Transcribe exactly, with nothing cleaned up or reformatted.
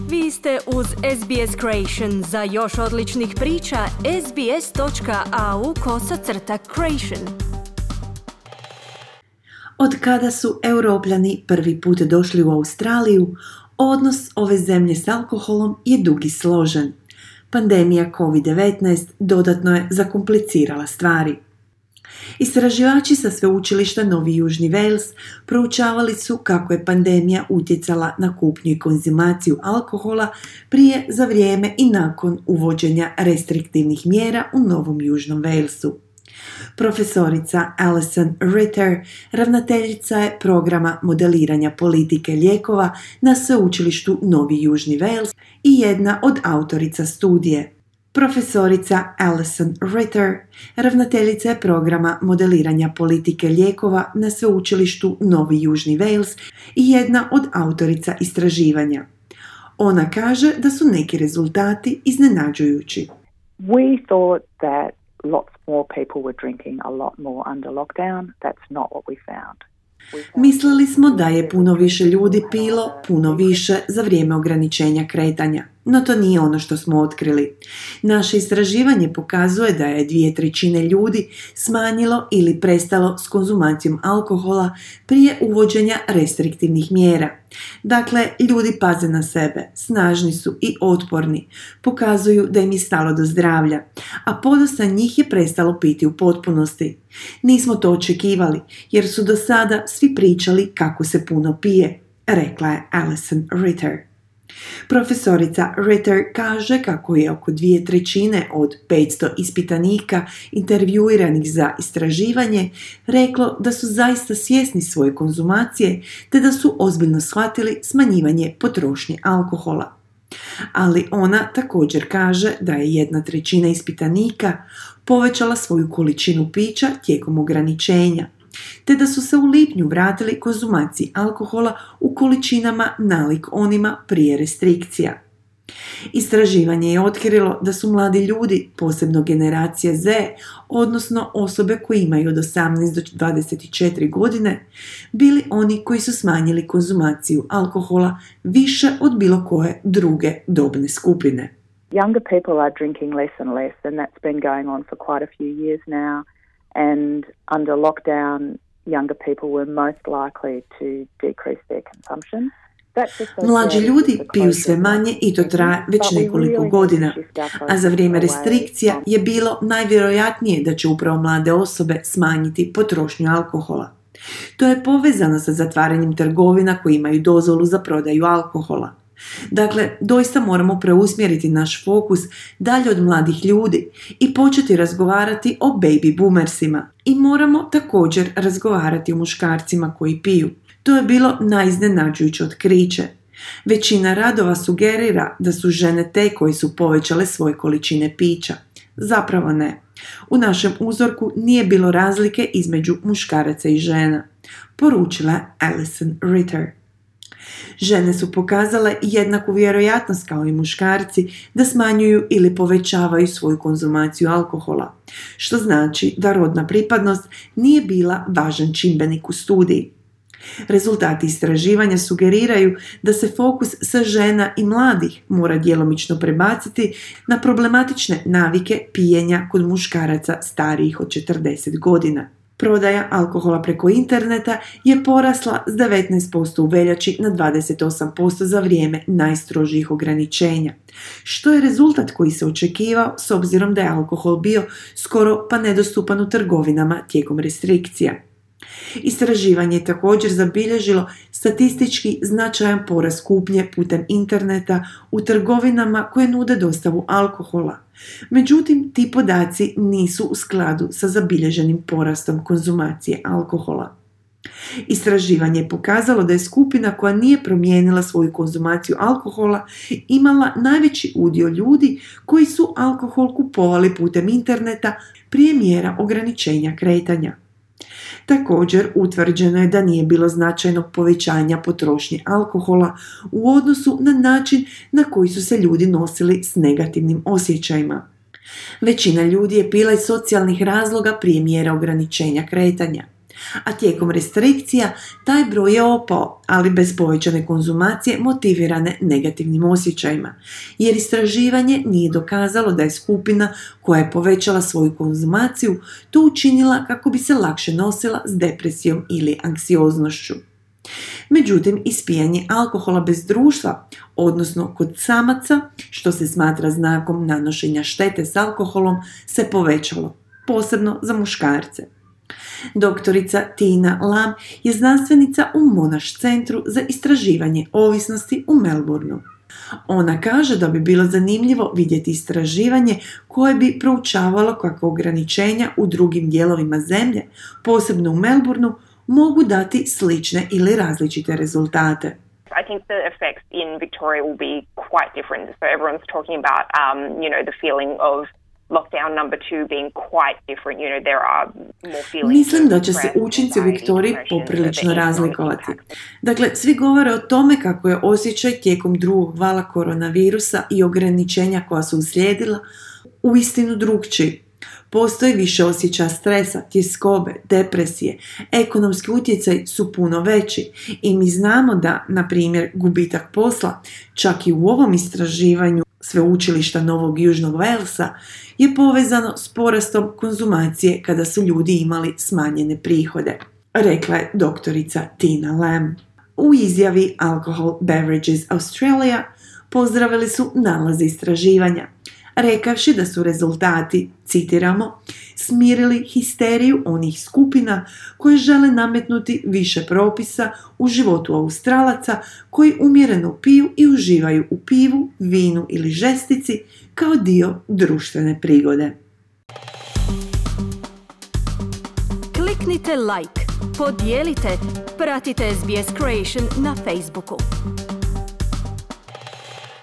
Vi ste uz S B S Creation. Za još odličnih priča, sbs.au kosacrta creation. Od kada su Europljani prvi put došli u Australiju, odnos ove zemlje s alkoholom je dug i složen. Pandemija covid devetnaest dodatno je zakomplicirala stvari. Istraživači sa sveučilišta Novi Južni Wales proučavali su kako je pandemija utjecala na kupnju i konzumaciju alkohola prije, za vrijeme i nakon uvođenja restriktivnih mjera u Novom Južnom Walesu. Profesorica Alison Ritter, ravnateljica je programa modeliranja politike lijekova na sveučilištu Novi Južni Wales i jedna od autorica studije. Profesorica Alison Ritter, ravnateljica je programa modeliranja politike lijekova na sveučilištu Novi Južni Wales i jedna od autorica istraživanja. Ona kaže da su neki rezultati iznenađujući. We thought that lots more people were drinking a lot more under lockdown. That's not what we found. Mislili smo da je puno više ljudi pilo, puno više za vrijeme ograničenja kretanja. No to nije ono što smo otkrili. Naše istraživanje pokazuje da je dvije trećine ljudi smanjilo ili prestalo s konzumacijom alkohola prije uvođenja restriktivnih mjera. Dakle, ljudi paze na sebe, snažni su i otporni, pokazuju da im je stalo do zdravlja, a podosta njih je prestalo piti u potpunosti. Nismo to očekivali, jer su do sada svi pričali kako se puno pije, rekla je Alison Ritter. Profesorica Ritter kaže kako je oko dvije trećine od petsto ispitanika intervjuiranih za istraživanje reklo da su zaista svjesni svoje konzumacije te da su ozbiljno shvatili smanjivanje potrošnje alkohola. Ali ona također kaže da je jedna trećina ispitanika povećala svoju količinu pića tijekom ograničenja, te da su se u lipnju vratili konzumaciji alkohola u količinama nalik onima prije restrikcija. Istraživanje je otkrilo da su mladi ljudi, posebno generacija Z, odnosno osobe koje imaju od osamnaest do dvadeset četiri godine, bili oni koji su smanjili konzumaciju alkohola više od bilo koje druge dobne skupine. Younger people are drinking less and less, and that's been going on for quite a few years now. And under lockdown, younger people were most likely to decrease their consumption. Mlađi ljudi piju sve manje i to traje već nekoliko godina, a za vrijeme restrikcija je bilo najvjerojatnije da će upravo mlade osobe smanjiti potrošnju alkohola. To je povezano sa zatvaranjem trgovina koji imaju dozvolu za prodaju alkohola. Dakle, doista moramo preusmjeriti naš fokus dalje od mladih ljudi i početi razgovarati o baby boomersima. I moramo također razgovarati o muškarcima koji piju. To je bilo najiznenađujuće otkriće. Većina radova sugerira da su žene te koje su povećale svoje količine pića. Zapravo ne. U našem uzorku nije bilo razlike između muškaraca i žena, poručila je Alison Ritter. Žene su pokazale jednaku vjerojatnost kao i muškarci da smanjuju ili povećavaju svoju konzumaciju alkohola, što znači da rodna pripadnost nije bila važan čimbenik u studiji. Rezultati istraživanja sugeriraju da se fokus sa žena i mladih mora djelomično prebaciti na problematične navike pijenja kod muškaraca starijih od četrdeset godina. Prodaja alkohola preko interneta je porasla s devetnaest posto u veljači na dvadeset osam posto za vrijeme najstrožijih ograničenja, što je rezultat koji se očekivao s obzirom da je alkohol bio skoro pa nedostupan u trgovinama tijekom restrikcija. Istraživanje je također zabilježilo statistički značajan porast kupnje putem interneta u trgovinama koje nude dostavu alkohola. Međutim, ti podaci nisu u skladu sa zabilježenim porastom konzumacije alkohola. Istraživanje je pokazalo da je skupina koja nije promijenila svoju konzumaciju alkohola imala najveći udio ljudi koji su alkohol kupovali putem interneta prije mjera ograničenja kretanja. Također, utvrđeno je da nije bilo značajnog povećanja potrošnje alkohola u odnosu na način na koji su se ljudi nosili s negativnim osjećajima. Većina ljudi je pila iz socijalnih razloga prije mjera ograničenja kretanja. A tijekom restrikcija taj broj je opao, ali bez povećane konzumacije motivirane negativnim osjećajima, jer istraživanje nije dokazalo da je skupina koja je povećala svoju konzumaciju to učinila kako bi se lakše nosila s depresijom ili anksioznošću. Međutim, ispijanje alkohola bez društva, odnosno kod samaca, što se smatra znakom nanošenja štete s alkoholom, se povećalo, posebno za muškarce. Doktorica Tina Lam je znanstvenica u Monash centru za istraživanje ovisnosti u Melbourneu. Ona kaže da bi bilo zanimljivo vidjeti istraživanje koje bi proučavalo kako ograničenja u drugim dijelovima zemlje, posebno u Melbourneu, mogu dati slične ili različite rezultate. I think the effects in Victoria will be quite different. So everyone's talking about, um, you know, the feeling of lockdown number two being quite different. You know, there are more feelings. Mislim da će se učinci u Viktoriji poprilično razlikovati. Dakle, svi govore o tome kako je osjećaj tijekom drugog vala koronavirusa i ograničenja koja su uslijedila uistinu drukčiji. Postoji više osjećaja stresa, tjeskobe, depresije, ekonomski utjecaj su puno veći i mi znamo da, na primjer, gubitak posla, čak i u ovom istraživanju Sveučilišta Novog Južnog Walesa, je povezano s porastom konzumacije kada su ljudi imali smanjene prihode, rekla je doktorica Tina Lam. U izjavi Alcohol Beverages Australia pozdravili su nalaze istraživanja, rekavši da su rezultati, citiramo, smirili histeriju onih skupina koje žele nametnuti više propisa u životu Australaca koji umjereno piju i uživaju u pivu, vinu ili žestici kao dio društvene prigode. Kliknite like, podijelite, pratite S B S Creation na Facebooku.